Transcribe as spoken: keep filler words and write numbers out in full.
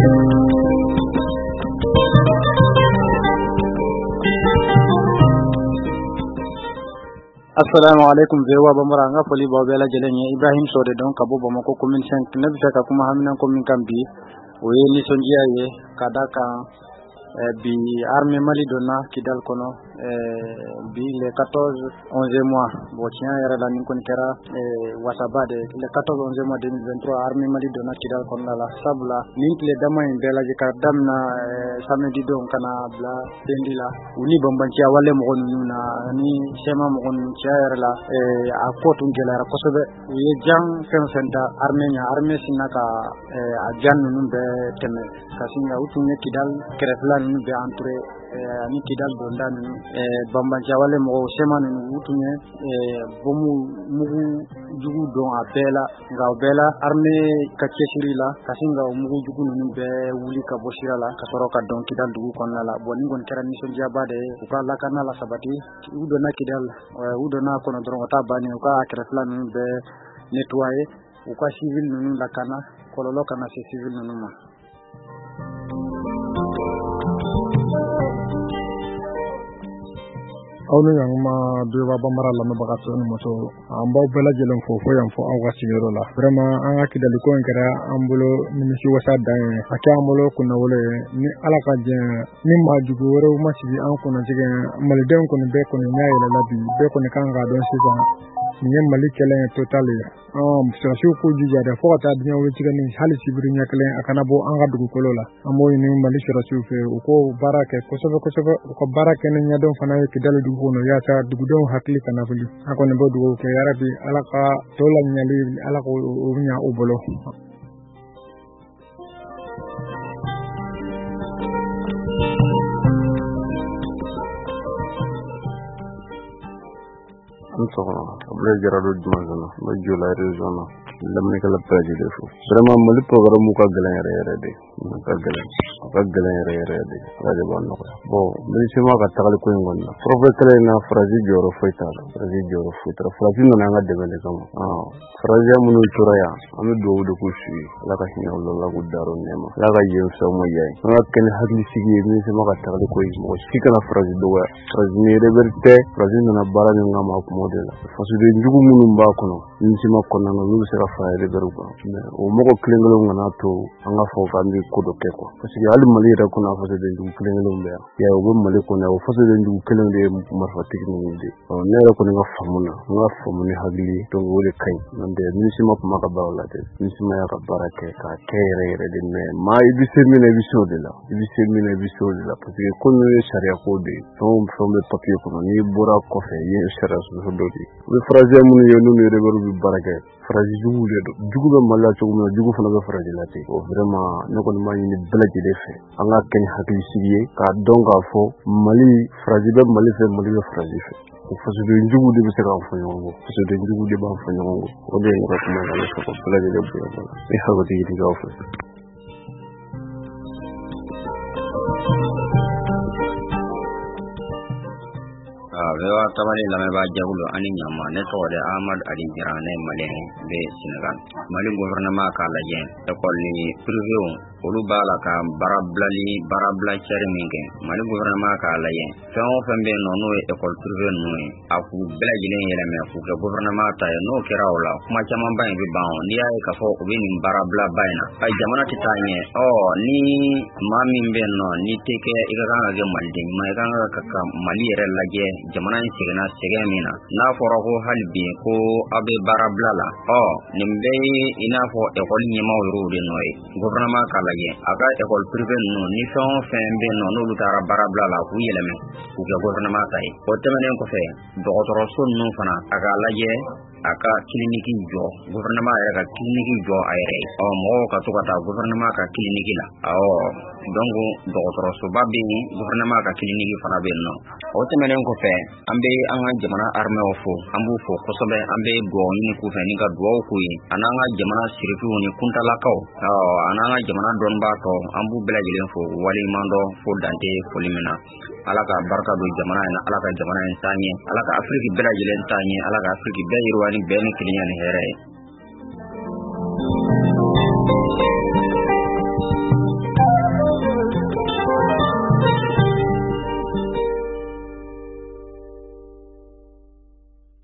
Assalamu alaikum V O A Bambara, n ka foli b'aw bɛɛ lajɛlen ye. Ibrahim Sow de don ka bɔ Bamakɔ commune cinq. Ne bɛ fɛ ka kuma haminanko min kan bi, o ye nisɔndiya ye ka da kan bi armée Mali donna Kidal kɔnɔ bi le quatorze onze mois. Bon, tiɲɛ yɛrɛ la nin kɔni kɛra wasaba de le quatorze onze mois deux mille vingt-trois armée Mali donna Kidal kɔnɔna la. Sabula nin tile dama in bɛɛ lajɛ ka daminɛ samedi don ka na bila lundi la, u ni banbanciya wale mɔgɔ ninnu na ani C M A mɔgɔ ninnu, tiɲɛ yɛrɛ la a ko tun gɛlɛyara kosɛbɛ. U ye jan fɛn fɛn da armée ɲɛ, armée sinna ka a jan ninnu bɛɛ tɛmɛ ka sin ka u tun ye Kidal kɛrɛfɛla ninnu bɛɛ entouré ani Kidal donda ninnu. Banbanciya wale mɔgɔw C M A ninnu, u tun ye bɔmu mugu jugu don a bɛɛ la, nka o bɛɛ la armée ka cɛsiri la ka sin ka o mugu jugu ninnu bɛɛ wuli ka bɔ sira la ka sɔrɔ ka don Kidal dugu kɔnɔna la. Bon, nin kɔni kɛra nisɔndiyaba de ye. U ka lakana la sabati, u donna Kidal, u donna a kɔnɔ dɔrɔn, o t'a bannen, u ka kɛrɛfɛla ninnu bɛɛ nettoyer, u ka civil ninnu lakana, kɔlɔlɔ kana se civil ninnu ma. Aw ni ɲankuma V O A Bambara lamɛnbaga cɛw ni musow, an b'aw bɛɛ lajɛlen fo fo yan fo aw ka sigiyɔrɔ la. Vraiment, an ka Kidali ko in kɛra an bolo nimisi wasa dan ye, a kɛ an bolo kunnawolo ye. Ni Ala ka jɛn, ni maa jugu wɛrɛw ma sigi an kunna tigɛ, malidenw kɔni bɛɛ kɔni ɲɛ yɛlɛla bi, bɛɛ kɔni kan k'a dɔn sisan nin ye Mali kɛlɛ ye total ye. Sɔrɔdasiw k'u jija dɛ, fo ka taa diɲɛ wuli tigɛ ni hali sibiri ɲɛ kelen a kana bɔ an ka dugukolo la. An b'o ɲini Mali sɔrɔdasiw fɛ, u k'o baara kɛ kosɛbɛ kosɛbɛ, u ka baara kɛ ni ɲɛdɔn fana ye Kidali dugu kɔnɔ, yaasa dugudenw hakili kana wuli. An kɔni bɛ dugawu kɛ yarabi Ala ka tɔ laɲali, Ala k'o ɲa u bolo. N sɔgɔma, Abulaye Jara don Jumanzana, n bɛ Jola région na, lamɛnnikɛla bɛɛ lajɛlen fo. Vraiment, Mali programme ka gɛlɛn yɛrɛ yɛrɛ de, a ka gɛlɛn, a ka gɛlɛn yɛrɛ yɛrɛ de, Ala de b'a nɔgɔya. Bon, MINUSMA ka tagali ko in kɔni na, forfait kɛlɛ in na, Faransi jɔyɔrɔ foyi t'a la, Faransi jɔyɔrɔ foyi t'a la. Faransi nana an ka dɛmɛ de kama. Faransiya minnu tora yan, an bɛ dugawu de k'u su ye, Ala ka hinɛ u la, Ala k'u dar'u nɛɛma, Ala ka yen fisaya u ma yan ye. An ka kɛ ni hakilisigi ye MINUSMA ka tagali ko in, mɔgɔ si kana Faransi dɔgɔya. Faransi ni rebelle tɛ, Faransi nana baara min kama a kun b'o de la. Fasoden jugu minnu b'a kɔnɔ MINUSMA kɔnɔna na, olu bɛ se ka fara rebelle kan, mais o mɔgɔ kelen kelenw kana to an ka fɔ k'an bɛ ko dɔ kɛ quoi. Parce que hali Mali yɛrɛ kɔnɔ, a fasoden jugu kelen kelenw bɛ yan, ya u bɛ Mali kɔnɔ, o fasoden jugu kelenw de ye marifatigi ninnu de ye. Ne yɛrɛ kɔni ka faamu na, n ka faamu ni hakili ye, donc o de ka ɲi. N'o tɛ MINUSMA tun b'a ka baara la dɛ, MINUSMA y'a ka baara kɛ k'a kɛ yɛrɛ yɛrɛ de, mais maa i bɛ se min na i bɛ se o de la, i bɛ se min na i bɛ se o de la, parce que ko ninnu ye sariya ko de ye, fɛn o fɛn bɛ papier kɔnɔ, n'i bɔra kɔfɛ i ye sariya sɔsɔ dɔ de ye. U bɛ faransiya minnu ye n'u ni rebelle bɛ baara kɛ, Faransi jugu de don. Jugu bɛ Mali la cogo min na, jugu fana bɛ Faransi la ten. O vraiment, ne kɔni b'a ɲini bɛɛ lajɛlen fɛ, an ka kɛ ni hakilisigi ye k'a dɔn k'a fɔ Mali, Faransi bɛ Mali fɛ, Mali bɛ Faransi fɛ. O fasoden jugu de bɛ se k'an fɔ ɲɔgɔn kɔ, fasoden jugu de b'an fɔ ɲɔgɔn kɔ. O de ye ne ka kuma ye, ka ne fɛ ka bɛɛ lajɛlen bonya b'a la. Ne hakili ɲini fɛ. V O A tabali lamɛnbaa jɛkulu ani ɲama, ne tɔgɔ de Ahmad Ali Jara, ne ye malien bɛ Senegal. Mali gouvernement k'a lajɛ école privéw olu b'a la ka baarabilali baarabila cɛri min kɛ. Mali gouvernement k'a lajɛ fɛn o fɛn bɛ yen nɔ n'o ye école privée ninnu ye, a k'u bɛɛ lajɛlen yɛlɛmɛ k'u kɛ gouvernement ta ye. N'o kɛra o la, kuma camanba in bɛ ban. O n'i y'a ye k'a fɔ u bɛ nin baarabilaba in na, ayi, jamana tɛ taa ɲɛ. Ɔ ni maa min bɛ yen nɔ n'i tɛ kɛ, i ka kan ka kɛ maliden ɲuman, i ka kan ka ka Mali yɛrɛ lajɛ, jamana in seginna sɛgɛn min na, n'a fɔra ko hali bi ko aw bɛ baarabila la, ɔ nin bɛɛ ye i n'a fɔ école ɲɛmaaw yɛrɛw de nɔ ye. Gouvernement k'a lajɛ a ka école privée ninnu, ni fɛn o fɛn bɛ yen nɔ n'olu taara baarabila la, k'u yɛlɛmɛ k'u kɛ gouvernement ta ye. O tɛmɛnen kɔfɛ, dɔgɔtɔrɔso ninnu fana, a k'a lajɛ a ka clinique jɔ, gouvernement yɛrɛ ka clinique jɔ a yɛrɛ ye. Ɔ mɔgɔw ka to ka taa gouvernement ka clinique la. Awɔ, donc dɔgɔtɔrɔsoba bɛ yen, gouvernement ka clinique fana bɛ yen nɔ. O tɛmɛnen kɔfɛ, an bɛ an ka jamana armée fo, an b'u fo kosɛbɛ, an bɛ dugawu ɲini k'u fɛ ni ka dugawu k'u ye, a n'an ka jamana sirifiw ni kuntalakaw, ɔ a n'an ka jamana dɔnnibaa tɔw, an b'u bɛɛ lajɛlen fo waleɲuman dɔn fo dante foli min na. Ala ka barika don jamana in na, Ala ka jamana in taa ɲɛ, Ala ka Afiriki bɛɛ lajɛlen taa ɲɛ, Ala ka Afiriki bɛɛ yiriwa ni bɛn ni kelenya ni hɛrɛ ye.